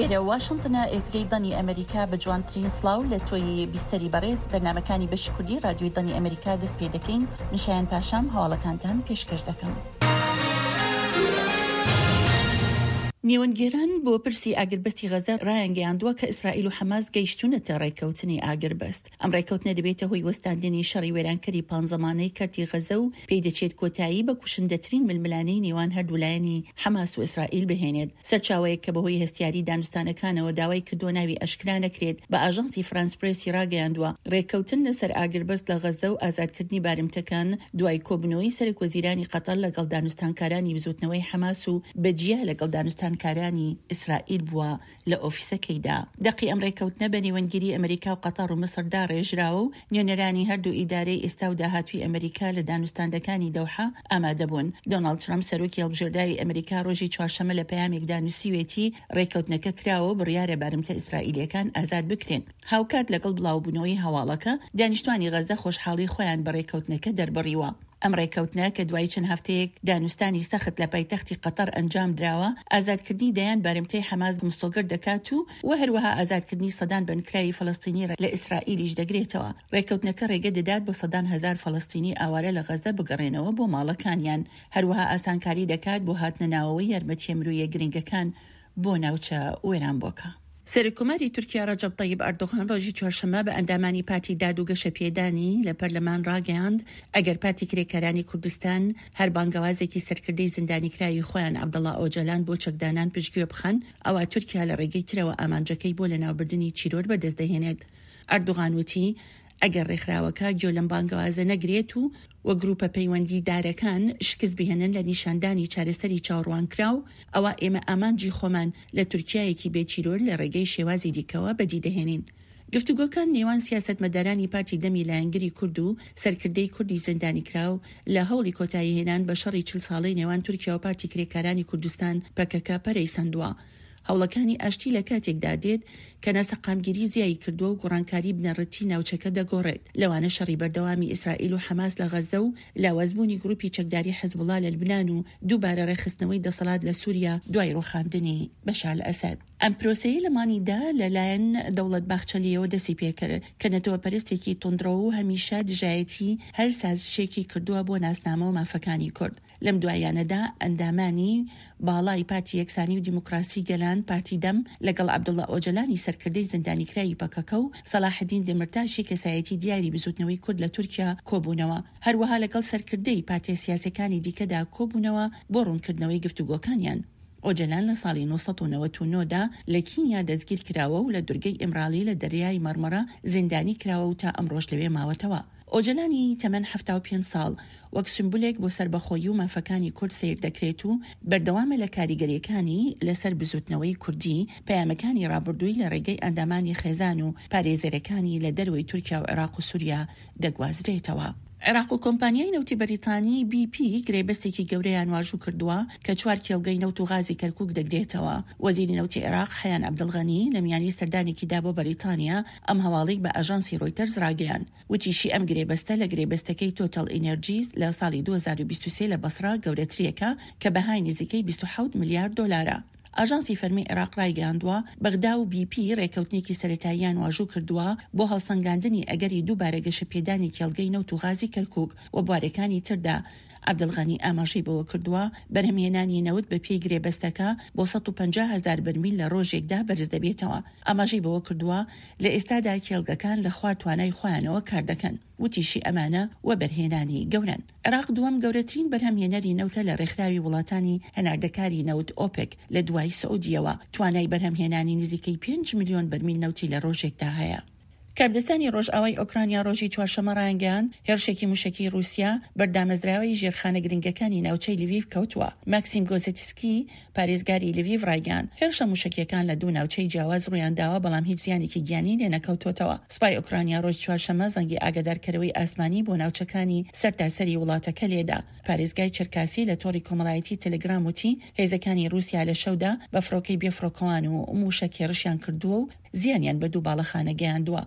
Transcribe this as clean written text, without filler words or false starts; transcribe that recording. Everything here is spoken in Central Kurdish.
ئێرە واشنتنە ئێزگەی دەنگی ئەمریکا بە جوانترین سڵاو لە تۆی بیستەری بەڕێز بەرنامەکانی بەشی کوردی رادیۆی دەنگی ئەمریکا دەست پێ دەکەین من شایان پاشام هەواڵەکانتان پێشکەش دەکەم. نێوەندگێران بۆ پرسی ئاگربەستی غەزە ڕایانگەیاندووە کە ئیسرائیل و حەماس گەیشتوونەتە ڕێککەوتنی ئاگربەست. ئەم ڕێککەوتنە دەبێتە هۆی وەستاندنی شەڕی وێرانکەری پانزەمانەی کەرتی غەزە و پێی دەچێت کۆتایی بە کوشندەترین ململانێی نێوان هەردوو لایەنی حەماس و ئیسرائیل بهێنێت. سەرچاوەیەک کە بەهۆی هەستیاری دانوستانەکانەوە داوای کردووە ناوی ئاشکرا نەکرێت، بە ئاژانسی فرانس پرێسی ڕاگەیاندووە، ڕێککەوتن لەسەر ئاگربەست لە غەززە و ئازادکردنی بارمتەکان دوای کۆبوونەوەی سەرۆکوەزیرانی قەتەر لەگەڵ دانوستانکارانی بزووتنەوەی حەماس و بە جیا لەگەڵ دانوستانکارانی ئیسرائیل بووە. لە ئۆفیسەکەیدا. دەقی ئەم ڕێککەوتنە بە نێوەندگیری ئەمریکا و قەتەڕ و میسر داڕێژراوە و نوێنەرانی هەردوو ئیدارەی ئێستا و داهاتووی ئەمریکا لە دانوستاندەکانی دەوحە ئامادەبوون. دۆناڵد ترەمپ، سەرۆکی هەڵبژێردراوی ئەمریکا ڕۆژی چوارشەممە لە پەیامێکدا نووسیوێتی، ڕێککەوتنەکە کراوە و بڕیارە بارمتە ئیسرائیلییەکان ئازاد بکرێن. هاوکات لەگەڵ بڵاوبوونەوەی هەواڵەکە، دانیشتوانی غەززە خۆشحاڵی خۆیان بە ڕێککەوتنەکە دەربڕیوە. ئەم ڕێککەوتنە کە دوای چەند هەفتەیەک دانوستانی سەخت لە پایتەختی قەتەڕ ئەنجام دراوە، ئازادکردنی دەیان بارمتەی حەماس مسۆگەر دەکات و و هەروەها ئازادکردنی سەدان بەندکراوی فەلەستینی لە ئیسرائیلیش دەگرێتەوە. ڕێککەوتنەکە ڕێگە دەدات بۆ سەدان هەزار فەلەستینی ئاوارە لە غەززە بگەڕێنەوە بۆ ماڵەکانیان، هەروەها ئاسانکاری دەکات بۆ هاتنە ناوەوەی یارمەتییە مرۆییە گرنگەکان بۆ ناوچە وێرانبووەکە. سەرۆککۆماری تورکیا ڕەجەب تەیب ئەردۆغان ڕۆژی چوارشەممە بە ئەندامانی پارتی داد و گەشەپێدانی لە پەرلەمان ڕاگەیاند، ئەگەر پارتی کرێکارانی کوردستان هەر بانگەوازێکی سەرکردەی زیندانیکراوی خۆیان عەبدوڵا ئۆجەلان بۆ چەکدانان پشتگوێ بخەن، ئەوا تورکیا لە ڕێگەی ترەوە ئامانجەکەی بۆ لەناوبردنی تیرۆر بەدەست دەهێنێت. ئەردۆغان وتی، ئەگەر ڕێکخراوەکە گوێ لەم بانگەوازە نەگرێت و و گروپە پەیوەندیدارەکان شکست بهێنن لە نیشاندانی چارەسەری چاوەڕوانکراو، ئەوا ئێمە ئامانجی خۆمان لە تورکیایەکی بێ تیرۆر لە ڕێگەی شێوازی دیکەوە بەدی دەهێنین. گفتوگۆکان نێوان سیاسەتمەدارانی پارتی دەمی لایەنگری کورد و سەرکردەی کوردی زیندانیکراو لە هەوڵی کۆتاییهێنان بە شەڕی 40 ساڵەی نێوان تورکیا و پارتی کرێکارانی کوردستان پەکەکە پەرەی سەندووە. هەوڵەکانی ئاشتی لە کاتێکدا دێت کە ناسەقامگیری زیایی کردووە و گۆڕانکاری بنەڕەتی ناوچەکە دەگۆڕێت، لەوانە شەڕی بەردەوامی ئیسرائیل و حەماس لە غەززە و لاوازبوونی گروپی چەکداری حزبوڵا لە لوبنان و دووبارە ڕێکخستنەوەی دەسەڵات لە سوریا دوای ڕووخاندنی بەشار ئەسەد. ئەم پرۆسەیە لە مانگی دە لە لایەن دەوڵەت باخچەلییەوە دەستی پێکرد، کە نەتەوەپەرستێکی توندڕەو و هەمیشە دژایەتی هەر سازشێکی کردووە بۆ ناسنامە و مافەکانی کورد. لەم دواییانەدا ئەندامانی باڵای پارتی یەکسانی و دیموکراسی گەلان، پارتی دەم، لەگەڵ عەبدوڵا ئۆجەلانی سەرکردەی زیندانیکراوی پەکەکە و سەڵاحەدین دەمیرتاشی کەسایەتی دیاری بزوتنەوەی کورد لە تورکیا کۆبوونەوە. هەروەها لەگەڵ سەرکردەی پارتیە سیاسیەکانی دیکەدا کۆبوونەوە بۆ ڕوونکردنەوەی گفتوگۆکانیان. ئۆجەلان لە ساڵی 999 دا لە کینیا دەستگیرکراوە و لە دورگەی ئیمرالی لە دەریای مەڕمەڕە زیندانی کراوە و تا ئەمڕۆش لەوێ ماوەتەوە. ئۆجەلانی تەمەن 75 ساڵ وەک سیمبولێک بۆ سەربەخۆیی و مافەکانی کورد سەیر دەکرێت و بەردەوامە لە کاریگەرییەکانی لەسەر بزووتنەوەی کوردی، پەیامەکانی ڕابردووی لە ڕێگەی ئەندامانی خێزان و پارێزەرەکانی لە دەرەوەی تورکیا و عێراق و سوریا دەگوازرێتەوە. عێراق و کۆمپانیای نەوتی بەریتانی، بی پی، گرێبەستێکی گەورەیان واژوو کردووە کە چوار کێڵگەی نەوت و غازی کەرکووک دەگرێتەوە. وەزیری نەوتی عێراق، حەیان عەبدولغەنی، لە میانی سەردانێکیدا بۆ بەریتانیا ئەم هەواڵەی بە ئاژانسی ڕۆیتەرز ڕاگەیاند. وتیشی، ئەم گرێبەستە لە گرێبەستەکەی تۆتەڵ ئینێرجیز لە ساڵی 2023 لە بەسڕە گەورەتریەکە کە بەهای نزیکەی 27 ملیار دۆلارە. ئاژانسی فەرمی عێراق ڕایگەیاندووە، بەغدا و بی پی ڕێککەوتنێکی سەرەتاییان واژوو کردووە بۆ هەڵسەنگاندنی ئەگەری دووبارە گەشەپێدانی کێڵگەی نەوت و غازی کەرکوک و بوارەکانی تردا. عەبدولغەنی ئاماژەی بەوەکردووە، بەرهەمهێنانی نەوت بەپێی گرێبەستەکە بۆ 150 هەزار بەرمیل لە ڕۆژێکدا بەرزدەبێتەوە. ئاماژەی بەوەکردووە، لە ئێستادا کێڵگەکان لە خوار توانای خۆیانەوە کاردەکەن. وتیشی ئەمانە وەبەرهێنانی گەورەن. عێراق دووەم گەورەترین بەرهەمهێنەری نەوتە لە رێکخراوی وڵاتانی هەناردەکاری نەوت ئۆپێک لە دوای سعودیەوە، توانای بەرهەمهێنانی نزیکەی پێنج ملیۆن بەرمیل نەوتی لە رۆژێکدا هەیە. کاربەدەستانی رۆژئاوای ئۆکرانیا رۆژی چوارشەممە رایانگەیاند، هێرشێکی موشەکیی رووسیا بەر دامەزراوەی ژێرخانە گرنگەکانی ناوچەی لڤیڤ کەوتووە. ماکسیم گۆزێتسکی، پارێزگاری لڤیڤ ڕایگەیاند، هێرشە موشەکییەکان لە دوو ناوچەی جیاواز ڕوویانداوە، بەڵام هیچ زیانێکی گیانی لێنەکەوتۆتەوە. سوپای ئۆکرانیا ڕۆژی چوارشەممە زەنگی ئاگادارکەرەوەی ئاسمانی بۆ ناوچەکانی سەرتاسەری وڵاتەکە لێدا. پارێزگای چەرکاسی لە تۆڕی کۆمەڵایەتی تەلەگرام وتی، هێزەکانی ڕووسیا لە شەودا بە فڕۆکەی بێفڕۆکەوان و موشەک هێڕشیان کردووە و زیانیان بە دوو باڵەخانە گەیاندووە.